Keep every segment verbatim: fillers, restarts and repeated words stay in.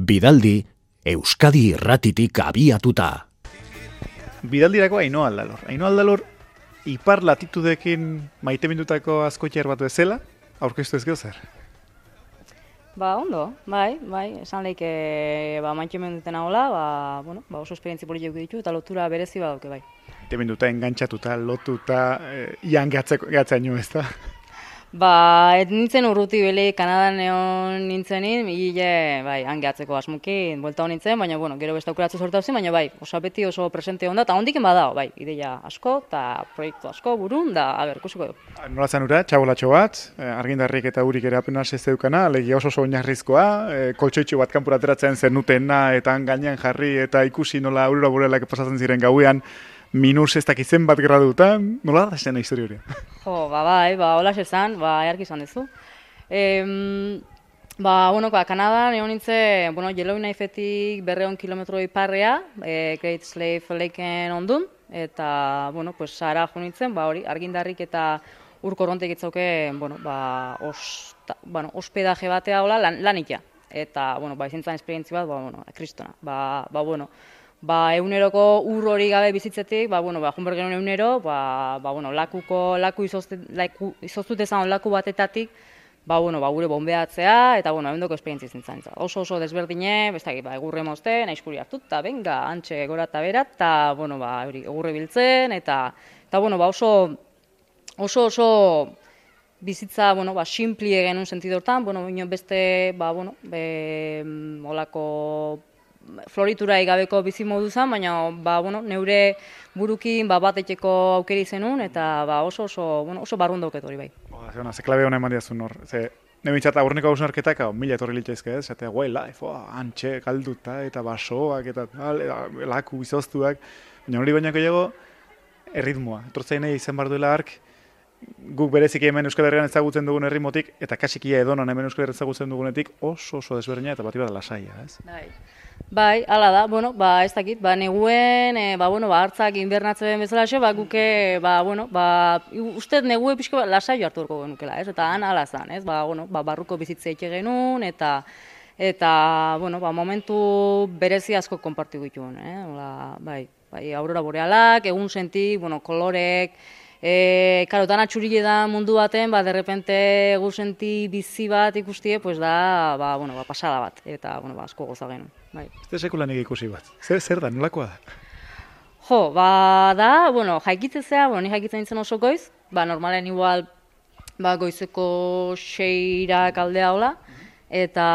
Bidaldi, Euskadi irratitik abiatuta. Bidaldirako Ainhoa Aldalor. Ainhoa Aldalor, ipar latitudekin maite mindutako askoitxar bat bezala, aurkeztu ez zer? Ba, ondo, bai, bai, esan lehik, ba, maite minduten hola, ba, bueno, ba, oso esperientzi politiak ditu, eta lotura berezi badauke, bai. Maite minduta, engantzatuta, lotuta, eh, ian gatzaino ez da? Ba, ez nintzen urruti beli, Kanadan egon nintzenin, hile, bai, hangeatzeko asmuki, buelta hon nintzen, baina, bueno, gero beste aukeratze sortu hauzi, baina, bai, oso beti oso presente onda, eta hondiken badao, bai, ideia asko, eta proiektu asko burun, da, a ber, kusiko du. Nola zen ura, txabolatxo bat, argindarrik eta urik ere apenas ez zeukana, legi oso oso oinarrizkoa, koltsoitxo bat kanpura ateratzen zenutena, eta gainean jarri, eta ikusi nola aurora borelak pasatzen ziren gauean, minus ez dakitzen bat gradutan, nola da zen historia hori? Jo, ba, bai, ba, hola esan, ba, earki izan dezu. Em, ba, bueno, ba, Kanadan egon nintzen, bueno, Yellowknifetik berreun kilometro iparrea, e, Great Slave Lakeen ondun, eta, bueno, pues, Sahara jo nintzen, ba, hori, argindarrik eta ur korrontek itzauke, bueno, ba, os, ta, bueno, hospedaje batea hola, lan, lanikia. Eta, bueno, ba, izintzen esperientzi bat, ba, bueno, kristona, ba, ba, bueno, Ba, eguneroko ur hori gabe bizitzetik, ba, bueno, ba, junber genuen egunero, ba, ba, bueno, lakuko, laku izoztut ezan laku batetatik, ba, bueno, ba, gure bombeatzea, eta, bueno, ebendoko esperientzi zintzen. Oso oso desberdine, bestak, ba, egurre mozte, naizkuri hartut, eta benga, antxe gora eta berat, eta, bueno, ba, egurre biltzen, eta, eta, bueno, ba, oso, oso, oso bizitza, bueno, ba, simpli genuen sentidortan, bueno, beste, ba, bueno, be, olako floritura igabeko bizi modu zen, baina ba, bueno, neure burukin ba, bat etxeko aukeri zenun, eta ba, oso oso, bueno, oso barrun dauket hori bai. Ba, ze klabe hona eman diazun hor. Ze, ne bintzat aurreneko hausnarketak, mila etorri litzaizke ez, eta way life, oh, antxe, kalduta, eta basoak, eta tal, laku izoztuak, baina hori bainako jego, erritmoa. Etortzain nahi izan bar duela ark, guk berezik hemen Euskal Herrian ezagutzen dugun erritmotik, eta kasikia edonan hemen Euskal Herrian ezagutzen dugunetik, oso oso desberdina eta bati bat lasaia, ez? Bai. Bai, hala da, bueno, ba, ez dakit, ba, neguen, e, ba, bueno, ba, hartzak inbernatzen bezala xe, ba, guke, ba, bueno, ba, uste negue pixko ba, lasaio hartu horko genukela, ez, eta han hala zan, ez, ba, bueno, ba, barruko bizitze eke genuen, eta, eta, bueno, ba, momentu berezi asko konpartu dituen, eh, Ola, bai, bai, aurora borealak, egun senti, bueno, kolorek, E, karo, dana txurile da mundu baten, ba, derrepente egun senti bizi bat ikustie, pues da, ba, bueno, ba, pasada bat, eta, bueno, ba, asko goza genuen. Bai. Ez da sekulan ikusi bat, zer, zer da, nolakoa da? Jo, ba, da, bueno, jaikitzea, bueno, ni jaikitzen nintzen oso goiz, ba, normalen igual, ba, goizeko seirak aldea hola, eta,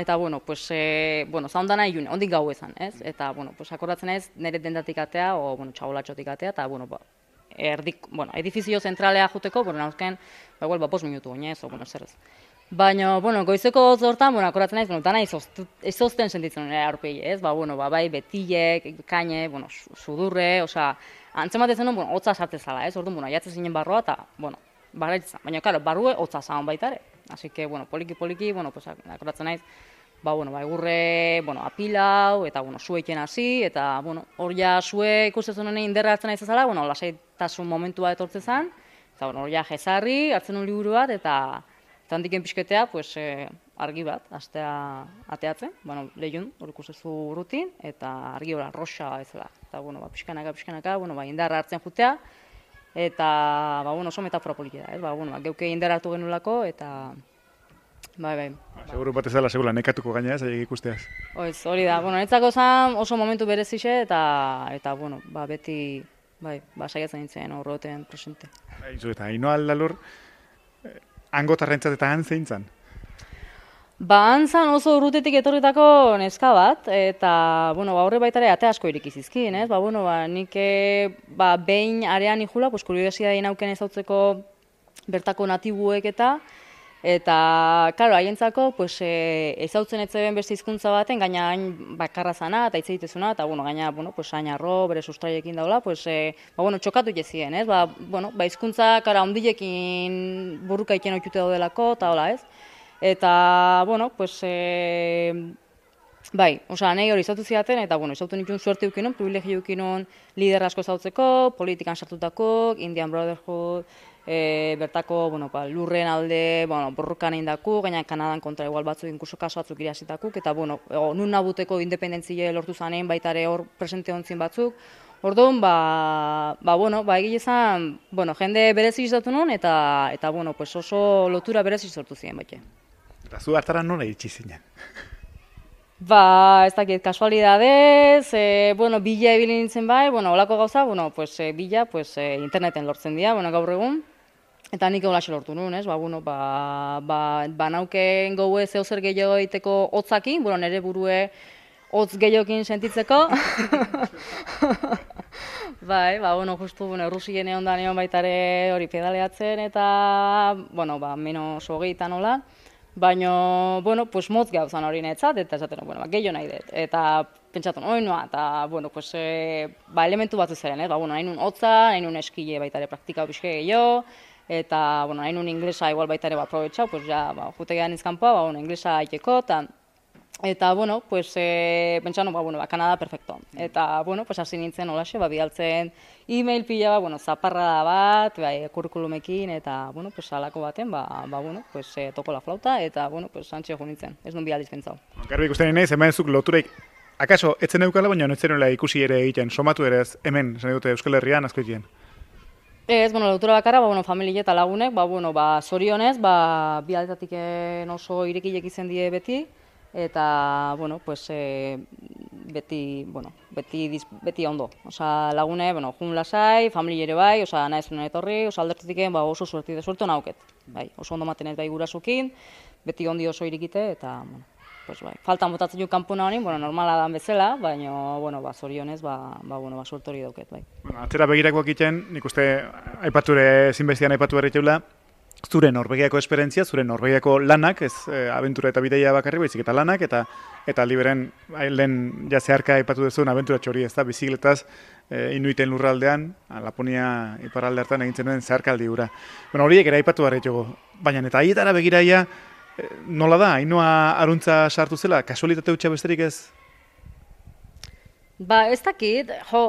eta, bueno, pues, e, bueno, zaundana ilune, ondik gau ezan, ez? Eta, bueno, pues, akordatzen ez, nire dendatik atea, o, bueno, txabolatxotik atea, eta, bueno, ba, erdik, bueno, edifizio zentralea juteko, bueno, nauzken, ba, igual, ba, bost minutu oinez, o, bueno, zer ez. Baina, bueno, goizeko zortan, bueno, akoratzen naiz, bueno, dana izozten sentitzen nire aurpegi, ez? Ba, bueno, ba, bai, betilek, kaine, bueno, sudurre, osea, antzematezen non, bueno, hotza sartzezala, ez? Orduan, bueno, aiatzen zinen barroa, eta, bueno, barraitzen. Baina, karo, barrue hotza zaun baita ere. Así que, bueno, poliki-poliki, bueno, pues, akoratzen naiz, ba, bueno, ba, egurre, bueno, apilau, eta, bueno, zueiken hasi, eta, bueno, hor ja zue ikustezen honen inderra hartzen naiz ezala, bueno, lasaitasun momentua etortzen zen, eta, bueno, hor ja jezarri, hartzen un liburu bat, eta, eta handiken pixketea, pues, eh, argi bat, astea ateatzen, bueno, lehun, hor ikustezu rutin, eta argi hori roxa ezela, eta, bueno, ba, pixkanaka, pixkanaka, bueno, ba, indarra hartzen jutea, eta, ba, bueno, oso metafora politia da, ez, ba, bueno, ba, geuke indarra hartu genulako, eta, bai, bai. Seguru bat ez dela, segula, nekatuko gaina ez, aiek ikusteaz. Oiz, hori da, bueno, netzako zan oso momentu berezixe, eta, eta, bueno, ba, beti, bai, ba, saiatzen nintzen horroten presente. Aizu, eta Ainhoa Aldalor, eh, hangotarrentzat eta han zein zan? Ba, han zan oso urrutetik etorritako neska bat, eta, bueno, ba, horre baitare ate asko irikizizkin, ez? Ba, bueno, ba, nik, ba, behin arean ikula, pues, kuriosidadei nauken ezautzeko bertako natibuek eta, Eta, klaro, haientzako, pues, e, ezautzen etzeben beste hizkuntza baten, gaina hain bakarra zana eta hitz egitezuna, eta, bueno, gaina, bueno, pues, hain arro, bere sustraiekin daula, pues, e, ba, bueno, txokatu jezien, ez? Ba, bueno, ba, hizkuntza, kara, ondilekin burruka iken oitute daudelako, eta hola, ez? Eta, bueno, pues, e, bai, osea, nahi hori izautu zidaten, eta, bueno, izautu nituen suerte eukinon, privilegio eukinon lider asko ezautzeko, politikan sartutako, Indian Brotherhood, e, bertako, bueno, ba, lurren alde, bueno, borrokan indaku, gaina Kanadan kontra igual batzuk, inkuso kaso batzuk irasitakuk, eta, bueno, o, nun nabuteko independentzie lortu zanen, baita ere hor presente ontzin batzuk. Orduan, ba, ba, bueno, ba, egile zan, bueno, jende berezi izatu nun, eta, eta, bueno, pues oso lotura berezi sortu ziren, baite. Eta zu hartara nola iritsi zinen? Ba, ez dakit, kasualidadez, e, bueno, bila ibili nintzen bai, bueno, olako gauza, bueno, pues, e, bila, pues, e, interneten lortzen dira, bueno, gaur egun, eta nik holaxe lortu nuen, ez, ba, bueno, ba, ba, ba nauken goue zeo zer gehiago egiteko hotzakin, bueno, nire burue hotz gehiokin sentitzeko. Bai, ba, bueno, justu, bueno, Errusien egon da neon baitare hori pedaleatzen, eta, bueno, ba, menos hogeitan nola. Baina, bueno, pues motz gauzan hori netzat, eta esaten, bueno, ba, gehiago nahi dut. Eta pentsatu, oi noa, eta, bueno, pues, e, ba, elementu batzu zeren, eh? Ba, bueno, nahi nun hotza, nahi nun eskile baitare praktika pixke gehiago, eta, bueno, nahi nun inglesa igual baitare bat aprobetxau, pues, ja, ba, jute gehan izkanpoa, ba, bueno, inglesa haiteko, eta, eta, bueno, pues, e, pentsatu, ba, bueno, ba, Kanada perfecto. Eta, bueno, pues, hasi nintzen holaxe, ba, bidaltzen e-mail pila bat, bueno, zaparrada bat, bai, kurrikulumekin, eta, bueno, pues, alako baten, ba, ba, bueno, pues, e, toko la flauta, eta, bueno, pues, antxe jo nintzen, ez nun bialdiz pentsau. Garbi ikusten nahi, hemen zuk loturaik, akaso, etzen eukala, baina ez zenula ikusi ere egiten, somatu ere ez, hemen, zen dute Euskal Herrian, asko egiten. Ez, bueno, lotura bakarra, ba, bueno, familie eta lagunek, ba, bueno, ba, zorionez, ba, bialdetatik oso irekilek izan die beti, eta, bueno, pues, e, beti, bueno, beti, beti ondo. Osa, lagune, bueno, jun lasai, familie ere bai, osa, nahi zuen etorri, osa, aldertetik ba, oso suerti de suerto nauket. Bai, oso ondo maten ez bai gurasukin, beti ondi oso irikite, eta, bueno, pues, bai, faltan botatzen ju kanpuna honin, bueno, normala dan bezala, baina, bueno, ba, zorionez, ba, ba, bueno, ba, suerto hori dauket, bai. Bueno, atzera begirakoak egiten, nik uste, aipature, zinbestian aipatu berritxeula, zure Norvegiako esperientzia, zure Norvegiako lanak, ez e, abentura eta bideia bakarri, baizik eta lanak, eta eta liberen lehen ja zeharka aipatu duzun abentura txori, ez da, bizikletaz e, inuiten lurraldean, Laponia iparralde hartan egintzen den zeharkaldi gura. Bueno, horiek ere aipatu berritxego, baina eta haietara begiraia, e, nola da, hainua aruntza sartu zela, kasualitate hutsa besterik ez? Ba, ez dakit, jo,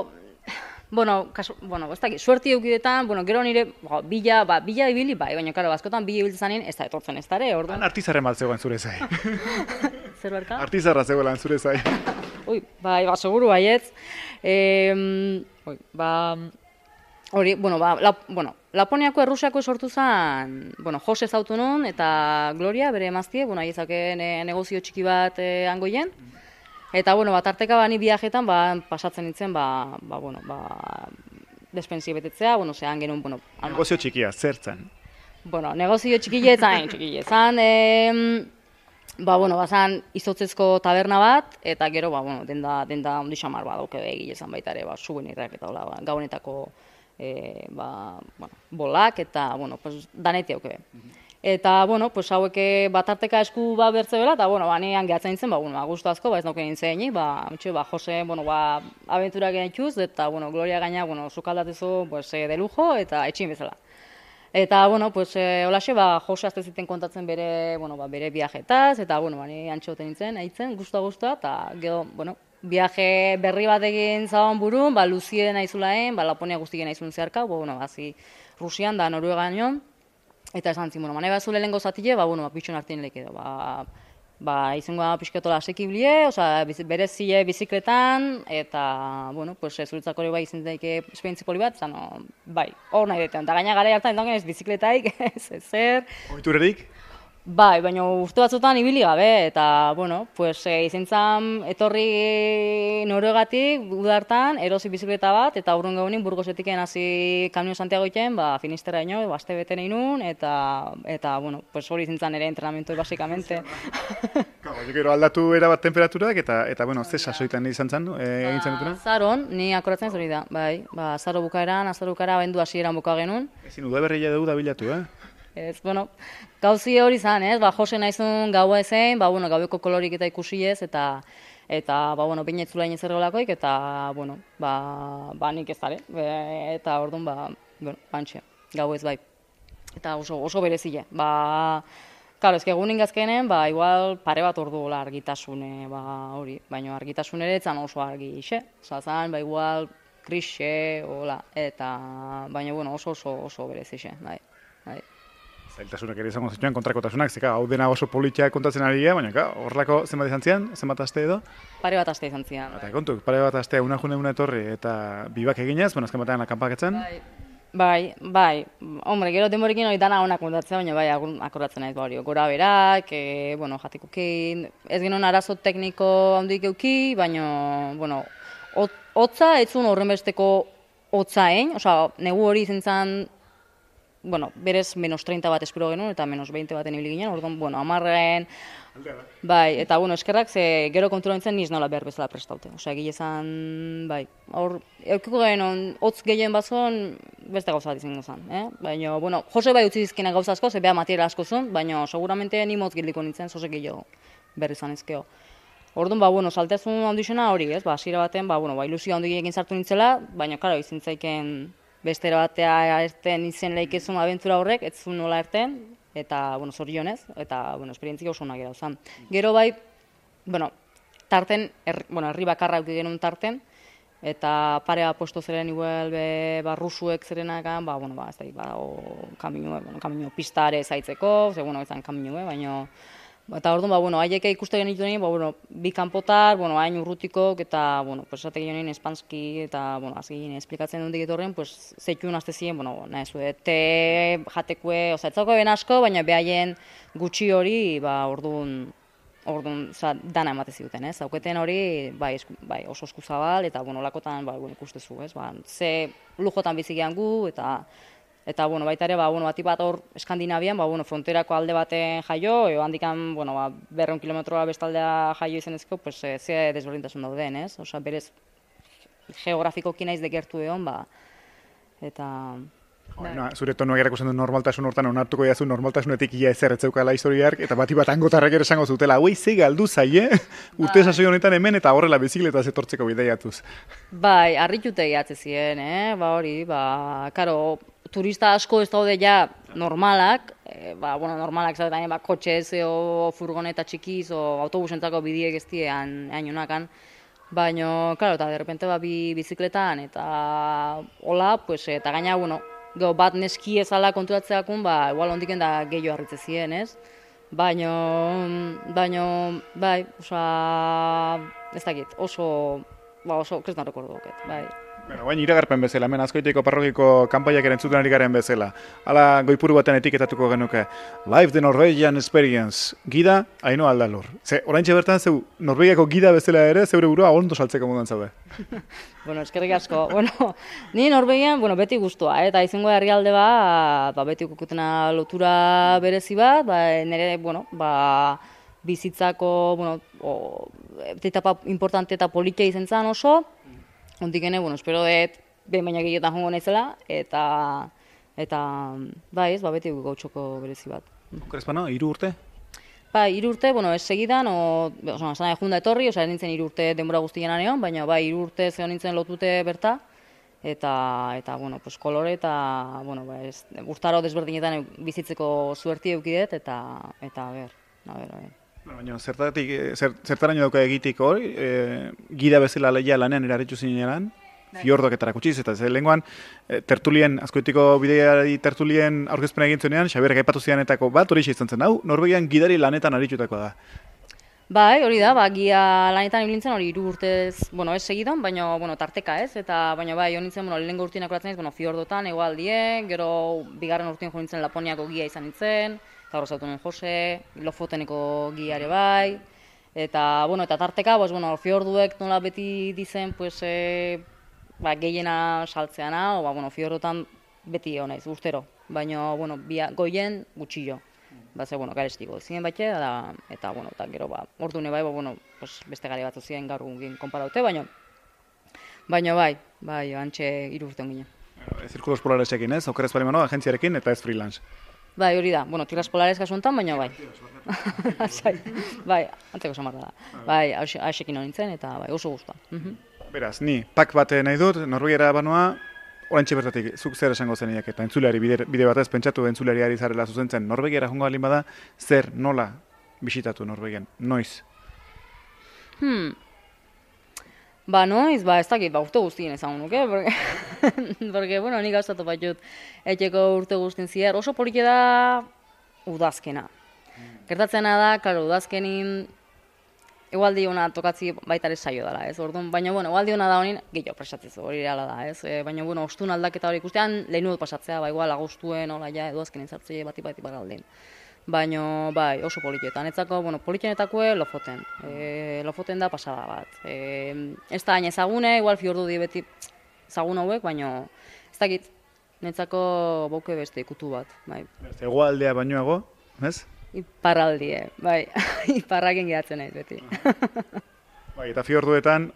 Bueno, kasu, bueno, ez dakit, suerti eukidetan, bueno, gero nire, bo, bila, ba, bila ibili, bai, baina, karo, askotan bila ibiltzen zanien, ez da etortzen ez dara, orduan. Artizarren bat zegoen zure zai. Zer barka? Artizarra zegoelan zure zai. Ui, bai, ba, seguru baietz. E, ui, ba, hori, bueno, ba, la, bueno, Laponiako Errusiako sortu zen, bueno, Jose zautu nun, eta Gloria, bere emaztie, bueno, aiezaken e, negozio txiki bat e, angoien. Eta, bueno, bat arteka bani viajetan, ba, pasatzen nintzen, ba, ba, bueno, ba, despensie betetzea, bueno, zehan genuen, bueno... Negozio txikia, zertzen? Bueno, negozio txikietzan, txikietzan, e, ba, bueno, bazan izotzezko taberna bat, eta gero, ba, bueno, denda, denda ondi xamar bat dauke egilezan baita ere, ba, subenirrak eta hola, ba, gaunetako, e, ba, bueno, bolak, eta, bueno, pues, daneti dauke. Eta, bueno, pues, haueke batarteka esku bat bertze bela, eta, bueno, ba, nian gehatzen nintzen, ba, bueno, gustu asko, ba, ez nauken nintzen, ba, mitxo, ba, Jose, bueno, ba, abentura genituz, eta, bueno, Gloria gaina, bueno, sukaldatezu, pues, de lujo, eta etxin bezala. Eta, bueno, pues, eh, holaxe, ba, Jose azte ziten kontatzen bere, bueno, ba, bere viajetaz, eta, bueno, ba, ni antxoten nintzen, haitzen, guztua-guztua, eta, gero, bueno, viaje berri bat egin zaban burun, ba, Luzie nahizulaen, ba, Laponia guztien nahizun zeharka, ba, bueno, bazi, Rusian da Noruegan nion, eta esan zin, bueno, mane bat zule lehenko zatile, ba, bueno, ba, pitxon hartin leke edo, ba, ba, izango da pixketola asekiblie, oza, bere zile bizikletan, eta, bueno, pues, zuritzako hori bai izan daike esperientzi poli bat, zan, no, bai, hor nahi deten, eta gaina gara hartan ez bizikletaik, ez ezer. Oiturerik? Bai, baina urte batzutan ibili gabe, eta, bueno, pues, e, izan zan etorri Noruegatik, udartan, erosi bizikleta bat, eta urrun gaunin Burgosetiken hasi Kamino Santiago iten, ba, Finistera ino, baste bete nahi nun, eta, eta, bueno, pues, hori izan zan ere entrenamiento, basikamente. Gero aldatu erabat temperaturak, eta, eta bueno, ze sasoitan izan zan, e, egin zen dutuna? Azaron, ni akoratzen ez hori da, bai, ba, azaro bukaeran, azaro bukara, abendu hasieran buka genuen. Ezin udaberria dugu da bilatu, eh? Ez, bueno, gauzi hori zan, ez, ba, Jose naizun gaua ezein, ba, bueno, gaueko kolorik eta ikusi ez, eta, eta, ba, bueno, baina etzula inez errolakoik, eta, bueno, ba, ba, nik ez dara, eta orduan, ba, bueno, bantxe, gau ez bai. Eta oso, oso berezile, ba, karo, ezke egunin gazkenen, ba, igual pare bat ordu gola argitasune, ba, hori, baina argitasun ere etzan oso argi, xe, oza, zan, ba, igual, krixe, hola, eta, baina, bueno, oso oso oso berezixe, bai, bai. Zailtasunak ere izango zituen kontrakotasunak, zeka, hau dena oso politia kontatzen ari gara, baina ka, horrelako zenbat izan zian, zenbat aste edo? Pare bat aste izan zian. Eta kontu, pare bat aste una june una etorri eta bibak eginez, bueno, azken batean akanpaketzen. Bai, bai, bai, hombre, gero denborekin hori dana onak kontatzen, baina bai, akordatzen naiz, hori, gora berak, e, bueno, jatikukin, ez genuen arazo tekniko handik euki, baina, bueno, hotza, ez zuen horren besteko hotzain, osea, negu hori izan zen, bueno, berez menos treinta bat espero genuen, eta menos veinte baten ibili ginen, orduan, bueno, amarren, bai, eta, bueno, eskerrak, ze gero kontura nintzen niz nola behar bezala prestaute. Osea, egile zan, bai, hor, eukiko genuen, hotz gehien bazon, beste gauza bat izango zen, eh? Baina, bueno, Jose bai utzi dizkina gauza asko, ze beha material asko zuen, baina, seguramente ni motz gildiko nintzen, zozek gehiago berri zan ezkeo. Orduan, ba, bueno, saltezun handixena hori, ez, ba, hasiera baten, ba, bueno, ba, ilusio handi egin sartu nintzela, baina, karo, izin zaiken bestera batea erten izen lehikezun abentura horrek, ez zuen nola erten, eta, bueno, zorionez, eta, bueno, esperientzia oso onak erauzan. Gero bai, bueno, tarten, er, bueno, herri bakarra auki genuen tarten, eta parea posto zeren igual, be, ba, rusuek zerenakan, ba, bueno, ba, ez da, ba, o, kamino, bueno, kamino pistare zaitzeko, ze, bueno, ezan kamino, baina, eta orduan, ba, bueno, haiek ikuste genituen, ba, bueno, bi kanpotar, bueno, hain urrutikok, eta, bueno, pues, esate genuen espanski, eta, bueno, azgin, esplikatzen dut egitorren, pues, zeitun azte ziren, bueno, nahi zue, te jatekue, oza, etzako ben asko, baina behaien gutxi hori, ba, orduan, orduan, oza, dana emate ziduten, ez? Hauketen hori, bai, esku, bai, oso eskuzabal, eta, bueno, lakotan, ba, bueno, ikustezu, ez? Ba, ze lujotan bizigean gu, eta, Eta, bueno, baita ere, ba, bueno, bati bat hor Eskandinavian, ba, bueno, fronterako alde baten jaio, eo handikan, bueno, ba, berreun kilometroa bestaldea jaio izanezko, pues, e, ze desberdintasun dauden, ez? Osa, berez, geografikoki naiz de gertu egon, ba, eta... No, zure tonuak erakusten du normaltasun hortan onartuko jazu normaltasunetik ia ezer etzeukala historiark, eta bati bat angotarrak ere esango zutela, hauei ze galdu zaie, urte sasoi honetan hemen eta horrela bizikleta zetortzeko bideiatuz. Bai, harritute gehatze ziren, eh? Ba hori, ba, karo, turista asko ez daude ja normalak, e, ba, bueno, normalak zaten, ba, kotxez o furgoneta txikiz o autobusentzako bidiek ez diean hainonakan, baina, karo, eta derrepente ba, bi bizikletan, eta hola, pues, eta gaina, bueno, Go, bat neski ezala konturatzeakun, ba, igual ondiken da gehiago harritze ziren, ez? Baina, baina, bai, oza, ez dakit, oso, ba, oso, kres no rekordo doket, bai. Bueno, baina iragarpen bezala, hemen Azkoitiko parrokiko kanpaiak erantzuten ari garen bezala. Hala goipuru baten etiketatuko genuke. Live the Norwegian Experience. Gida, Ainhoa Aldalur. Ze, oraintxe bertan, zeu, Norvegiako gida bezala ere, zeure burua ondo saltzeko modan zaude. Bueno, eskerrik asko. Bueno, ni Norvegian, bueno, beti guztua, eh? Eta izango herrialde ba, ba, beti ukukutena lotura berezi bat, ba, nire, bueno, ba, bizitzako, bueno, o, etapa importante eta politia izan zen oso, Ondikene, bueno, espero dut behin baina gehietan jongo naizela, eta, eta bai ez, ba, beti gautxoko berezi bat. Okerezpano, hiru urte? Ba, hiru urte, bueno, ez segidan, o, oza, zana junda etorri, oza, ez nintzen hiru urte denbora guztien anean, baina bai, hiru urte zeo nintzen lotute berta, eta, eta bueno, pues, kolore eta, bueno, ba, ez, urtaro desberdinetan bizitzeko zuerti eukidet, eta, eta, a ber, a ber, a ber. Baina, zertatik, zer, zertaraino dauka egitik hori, e, gida bezala lehia lanean eraritzu zinean, fiordok eta erakutsiz, eta ze lenguan, e, tertulien, Azkoitiko bideari tertulien aurkezpena egin zuenean, Xabierrek aipatu zianetako bat, hori izan zen, hau, Norvegian gidari lanetan aritutako da. Bai, hori da, ba, gia lanetan ibilintzen hori hiru urtez, bueno, ez segidan, baina, bueno, tarteka ez, eta, baina bai, hori nintzen, bueno, lehenengo urtien akuratzen ez, bueno, fiordotan, egoaldien, gero, bigarren urtien jo nintzen Laponiako gia izan nintzen, eta hor zautu nuen Jose, Lofoteneko giare bai, eta, bueno, eta tarteka, pues, bueno, fiorduek nola beti dizen, pues, e, ba, gehiena saltzeana, o, ba, bueno, fiordotan beti honaiz, urtero, baina, bueno, bia, goien gutxillo. Ba, ze, bueno, garestiko ziren baite, eta, eta, bueno, eta gero, ba, ordune bai, ba, bueno, pues, beste gare batzu ziren gaur gugin konparaute, baina, baina bai, bai, antxe hiru urte ongine. Zirkulos polaresekin ez, okeraz balimano, agentziarekin eta ez freelance. Bai, hori da, bueno, tirras polares kasu honetan, baina bai. Bai, antzeko samarra da. Bai, hasekin honintzen, eta bai, oso guztua. Beraz, ni, pak bat nahi dut, Norvegiara banoa, oraintxe bertatik, zuk zer esango zeniak eta entzuleari bide, bide batez pentsatu entzuleari zarela zuzentzen, Norvegiara jongo balin bada, zer, nola bisitatu Norvegian, noiz? Hmm. Ba, noiz, ba, ez dakit, ba, urte guztien ezagun nuke, porque, porque, bueno, nik gauzatu bat jut etxeko urte guztien zier. Oso polite da udazkena. Gertatzena da, klaro, udazkenin egualdi hona tokatzi baita ere saio dela, ez? Orduan, baina, bueno, egualdi hona da honin, gehiago presatzezu, hori reala da, ez? E, baina, bueno, ostun aldaketa hori ikustean, lehenu dut pasatzea, ba, igual, agostuen, hola, ja, udazkenin zartzei bati bati bagaldin. Baina, bai, oso politietan. Etzako, bueno, politienetakue Lofoten. E, Lofoten da pasada bat. E, ez da hain ezagune, igual fiordu di beti ezagun hauek, baina ez dakit, netzako bauke beste ikutu bat, bai. Hegoaldea bainoago, ez? Iparraldie, bai, iparraken gehatzen naiz beti. Bai, eta fiorduetan,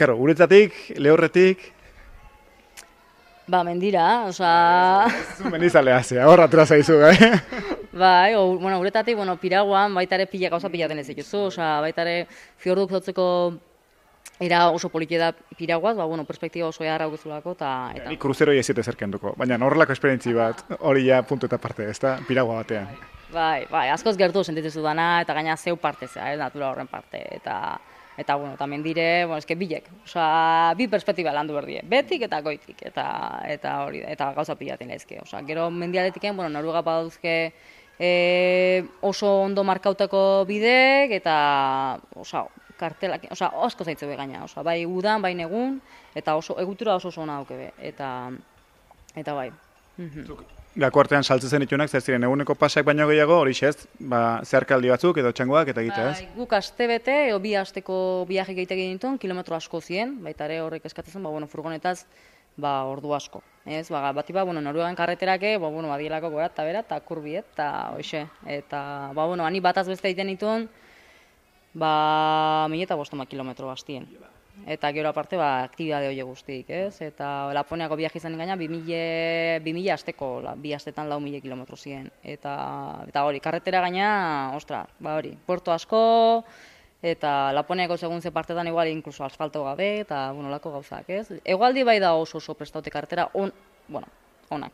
karo, guretzatik, lehorretik, ba, mendira, osea... zu mendizalea zea, horra atera zaizu, gai? Bai, o, bueno, uretatik, bueno, piraguan, baita ere pila gauza pilaten ez dituzu, osea, baita ere fiorduk zotzeko era oso politia da piraguaz, ba, bueno, perspektiba oso eharra augezulako, eta... eta... Ni kruzeroi ez ziete zerkenduko, baina horrelako esperientzi bat, hori ja puntu eta parte, ez da, piragua batean. Bai, bai, askoz gertu sentitzezu dana, eta gaina zeu parte zea, ez, natura horren parte, eta... Eta, bueno, tamen dire, bueno, eske bilek, osea, bi perspektiba landu berdie, betik eta goitik, eta eta hori, eta gauza pilaten daizke. Osea, gero mendialetiken, bueno, Noruega badauzke e, oso ondo markautako bidek, eta, osea, kartelak, osea, asko zaitze be gaina, osea, bai udan, bai negun, eta oso egutura oso oso ona dauke be, eta eta bai. Gako artean saltzen zen itunak, zer ziren eguneko pasak baino gehiago, hori ez, ba, zeharkaldi batzuk edo txangoak eta egitea, ez? Bai, guk aste bete, edo bi asteko biaje gehitek egin dituen, kilometro asko zien, baita ere horrek eskatzen, ba, bueno, furgonetaz, ba, ordu asko. Ez, ba, bati ba, bueno, Noruegan karreterake, ba, bueno, badielako gora eta bera, eta kurbiet, eta hoxe. Eta, ba, bueno, ani bataz beste egiten dituen, ba, mila eta bostoma kilometro bastien. Eta gero aparte, ba, aktibitate hori guztik, ez? Eta Laponiako biaje izan gaina, bi mila asteko, bi astetan lau mila kilometro ziren. Eta, eta hori, karretera gaina, ostra, ba hori, puerto asko, eta Laponiako segun ze partetan igual inkluso asfalto gabe, eta, bueno, lako gauzak, ez? Egualdi bai da oso oso prestaute karretera, on, bueno, onak.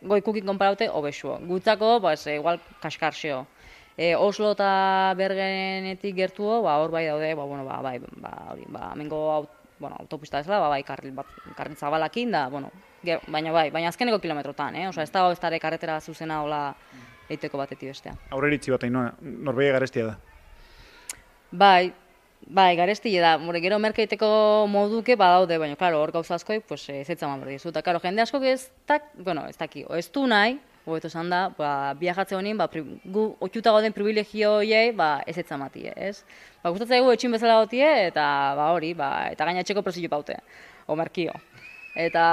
Goikukin konparaute, obexuo. Gutzako, ba, ez, igual, kaskarxeo. E, Oslo eta Bergenetik gertuo, ba, hor bai daude, ba, bueno, ba, bai, ba, hori, ba, hemengo aut, bueno, autopista ez da, ba, bai, karril, bat, karril zabalakin da, bueno, ger, baina bai, baina azkeneko kilometrotan, eh? Osa, ez da ez dara karretera zuzena hola eiteko batetik bestea. Aurreritzi bat, Ainhoa, Norvegia garestia da. Bai, bai, garestia da, more, gero merkeiteko moduke badaude, baina, klaro, hor gauza askoi, pues, ez etzaman berdi zu, eta, klaro, jende askok ez tak, bueno, ez daki, ez du nahi, hobeto esan da, ba, biajatze honin, ba, gu otxuta gauden privilegio horiei, ba, ez etzamatie, ez? Ba, gustatzen egu etxin bezala gotie, eta, ba, hori, ba, eta gaina etxeko presio paute, o merkio. Eta,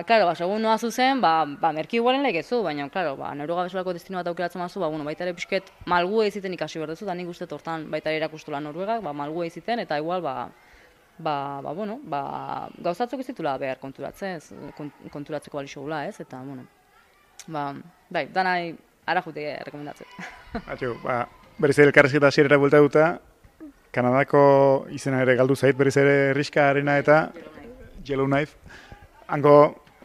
klaro, ba, segun noa zuzen, ba, ba, merkio igualen legezu, baina, klaro, ba, Noruega bezalako destino bat aukeratzen mazu, ba, bueno, baita ere pixket malgu egiten ikasi berdezu, da nik uste tortan baita ere erakustula Noruegak, ba, malgu egiten, eta igual, ba, ba, ba, bueno, ba, gauzatzuk ez ditula behar konturatzen, konturatzeko balixo gula, ez? Eta, bueno, ba, bai, danai ara jute rekomendatzen. Atxo, ba, berriz ere elkarrezketa hasierara buelta duta, Kanadako izena ere galdu zait, berriz ere Riska Arena eta Yellowknife. Hango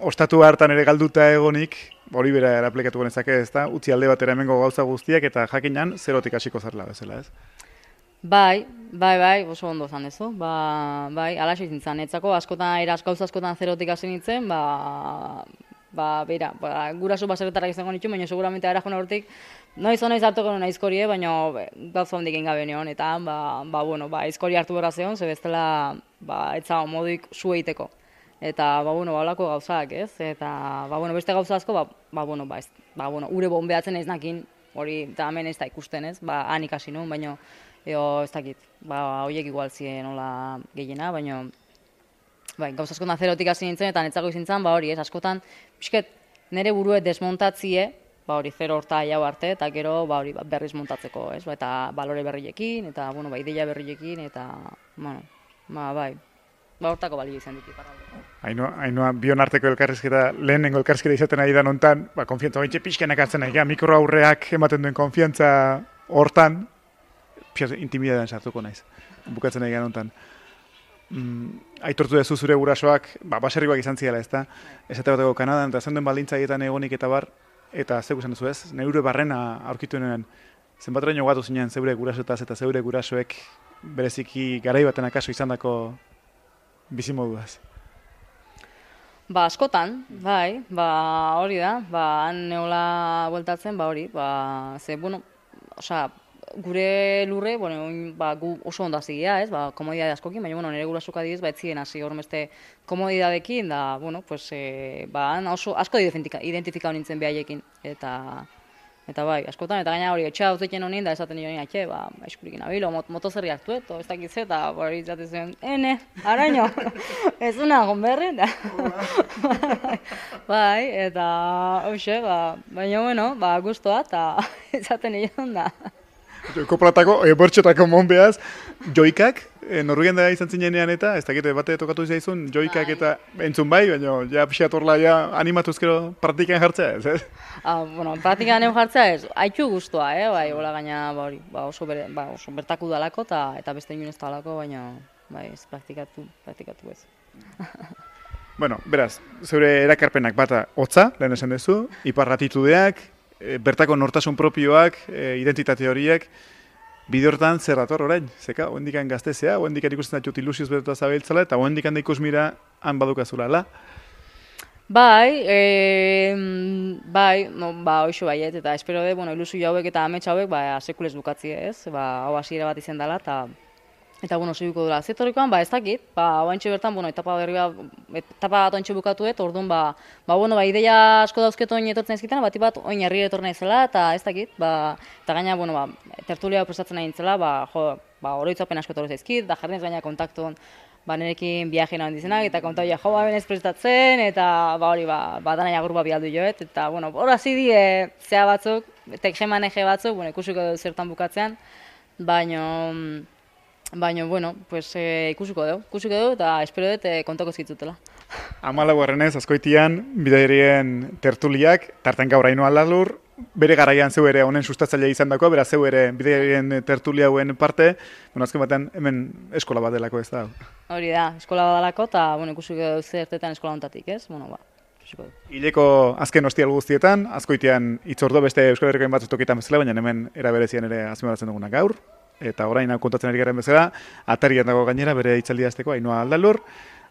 ostatu hartan ere galduta egonik, hori bera eraplikatu genezake, ez da, utzi alde batera hemengo gauza guztiak eta jakinan zerotik hasiko zarela bezala, ez? Bai, bai, bai, oso ondo zan dezu. Ba, bai, alaxe izin zan, etzako askotan, eraz gauza askotan zerotik hasi nintzen, ba, ba, bera, ba, guraso baserretarrak izango nitu, baina seguramente ara jona hortik, noiz o noiz hartuko nuen aizkorie, baina gauza hondik ingabe neon, eta, ba, ba, bueno, ba, aizkori hartu behar zeon, ze bestela, ba, etza moduik zu eiteko. Eta, ba, bueno, ba, olako gauzak, ez? Eta, ba, bueno, beste gauza asko, ba, ba, bueno, ba, ez, ba, bueno, ure bombeatzen ez nakin, hori, eta hemen ez da ikusten, ez? Ba, han ikasi nuen, baina, eo, ez dakit, ba, horiek igual ziren hola gehiena, baina, bai, gauz askotan zerotik hasi nintzen, eta netzako izin zen, ba hori, ez, askotan, pixket, nire burue desmontatzie, ba hori, zero horta jau arte, eta gero, ba hori, berriz montatzeko, ez, ba, eta balore berriekin, eta, bueno, ba, ideia berriekin, eta, bueno, ba, bai, ba, hortako balio izan ditu. Ainhoa, Ainhoa, bion arteko elkarrizketa, lehenengo elkarrizketa izaten ari da nontan, ba, konfiantza baintxe pixkenak hartzen nahi, mikro aurreak ematen duen konfiantza hortan, pixaz, intimidadean sartuko naiz, bukatzen nahi nontan. Mm, aitortu dezu zure gurasoak, ba, baserrikoak izan ziala, ez da? Esate bateko Kanadan, eta zenden baldintzaietan egonik eta bar, eta zeu esan duzu ez? Neure barrena aurkitu nuen, zenbateraino gatu zinen zeure gurasoetaz eta zeure gurasoek bereziki garai baten akaso izandako bizimoduaz? Ba, askotan, bai, ba, hori da, ba, han neola bueltatzen, ba, hori, ba, ze, bueno, osea, gure lurre, bueno, oin, ba, gu oso ondo hazigia, ez, ba, komodidade askokin, baina, bueno, nire gurasuk adibidez, ba, etzien hasi hormeste komodidadekin, da, bueno, pues, e, ba, han oso asko identifikau nintzen behaiekin, eta, eta bai, askotan, eta gaina hori, etxea hauzeten honin, da esaten nire atxe, ba, eskurikin abilo, mot, motozerri hartu, eto, ez dakitze, eta hori izaten zen, ene, araño, ez una gonberri, da. Bai, eta, hoxe, ba, baina, bueno, ba, guztua, eta izaten nire da. Joiko platako, e, bortxotako monbeaz, joikak, e, Norvegian da izan zinenean eta, ez dakite bate tokatu izaizun, joikak eta entzun bai, baina ja pixat horla ja animatuzkero praktikan jartzea ez, ez? Ah, bueno, praktikan neu jartzea ez, haitxu guztua, eh, bai, hola gaina, ba, hori, ba, oso, bere, ba, oso bertaku dalako eta, eta beste inun ez dalako, baina, bai, ez praktikatu, praktikatu ez. Bueno, beraz, zeure erakarpenak bata hotza, lehen esan duzu, iparratitudeak, e, bertako nortasun propioak, e, identitate horiek, bide hortan zer dator orain, zeka, oendikan gaztezea, oendikan ikusten datut ilusioz beretua zabiltzala, eta oendikan da ikusmira han badukazula, la? Bai, e, bai, no, ba, hoxo baiet, eta espero de, bueno, ilusio hauek eta amets hauek, ba, sekulez bukatzi ez, ba, hau hasiera bat izen dela, eta Eta, bueno, segiko dela. Zetorikoan, ba, ez dakit, ba, oantxe bertan, bueno, etapa berri bat, etapa bat oantxe bukatuet, orduan, ba, ba, bueno, ba, ideia asko dauzket oin etortzen ezkiten, bat bat oin herri etorna izela, eta ez dakit, ba, eta gaina, bueno, ba, tertulia prestatzen nahi nintzela, ba, jo, ba, oroitzapen asko etorri zaizkit, da jardinez gaina kontaktun, ba, nerekin viaje nahi dizenak, eta kontau ja, jo, ba, benez prestatzen, eta, ba, hori, ba, ba, dana jagur ba bialdu joet, eta, bueno, hor hasi die, zea batzuk, tekjemaneje batzuk, bueno, ikusiko dut zertan bukatzean, baino, Baina, bueno, pues, e, ikusiko dugu, ikusiko dugu, eta espero dut e, kontako zitzutela. Amalau errenez, azkoitian, bidairien tertuliak, tartan gaur haino alalur, bere garaian zeu ere honen sustatzailea izan dako, bera zeu ere bidairien tertulia hauen parte, bueno, azken batean hemen eskola bat delako ez da. Hori da, eskola bat delako, eta, bueno, ikusiko dugu zertetan eskola hontatik, ez? Bueno, ba, ikusiko dugu. Hileko azken ostial guztietan, azkoitian itzordo beste Euskal Herrikoen batzuk tokietan bezala, baina hemen eraberezian ere azpimarratzen duguna gaur. Eta orain hau kontatzen ari garen bezala, atarian dago gainera bere hitzaldia azteko Ainhoa Aldalur,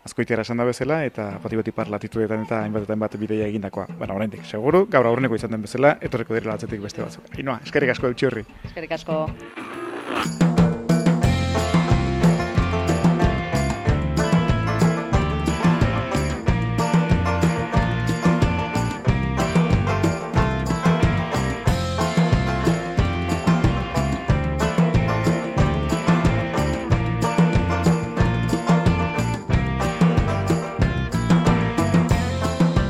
azkoitiara esan da bezala, eta bati-bati parlatituetan eta hainbatetan bat bideia egindakoa. Baina oraindik, seguru, gaur aurreneko izan den bezala, etorreko direla atzetik beste batzuk. Ainhoa, eskerrik asko eutxi horri. Eskerrik asko.